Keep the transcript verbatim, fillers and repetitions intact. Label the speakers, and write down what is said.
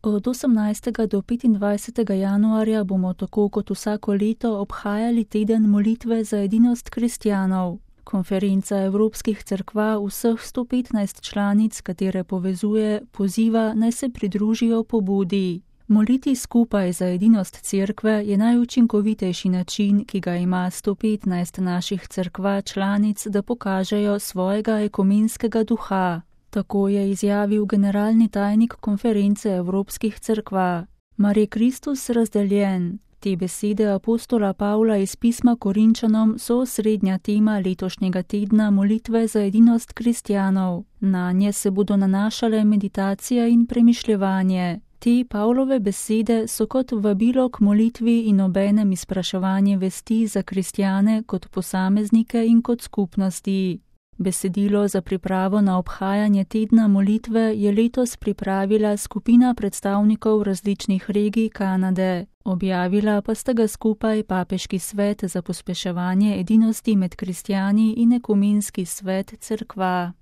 Speaker 1: Od osemnajstega do petindvajsetega januarja bomo tako kot vsako leto obhajali teden molitve za edinost kristjanov. Konferenca Evropskih cerkva vseh sto petnajst članic, katere povezuje, poziva, naj se pridružijo pobudi. Moliti skupaj za edinost cerkve je najučinkovitejši način, ki ga ima sto petnajst naših cerkva članic, da pokažejo svojega ekumenskega duha. Tako je izjavil generalni tajnik Konference Evropskih cerkva. Mar je Kristus razdeljen? Te besede apostola Pavla iz pisma Korinčanom so osrednja tema letošnjega tedna molitve za edinost kristjanov. Nanje se bodo nanašale meditacija in premišljevanje. Te Pavlove besede so kot vabilo k molitvi in obenem izpraševanje vesti za kristjane kot posameznike in kot skupnosti. Besedilo za pripravo na obhajanje tedna molitve je letos pripravila skupina predstavnikov različnih regij Kanade. Objavila pa sta ga skupaj Papeški svet za pospeševanje edinosti med kristjani in Ekumenski svet cerkva.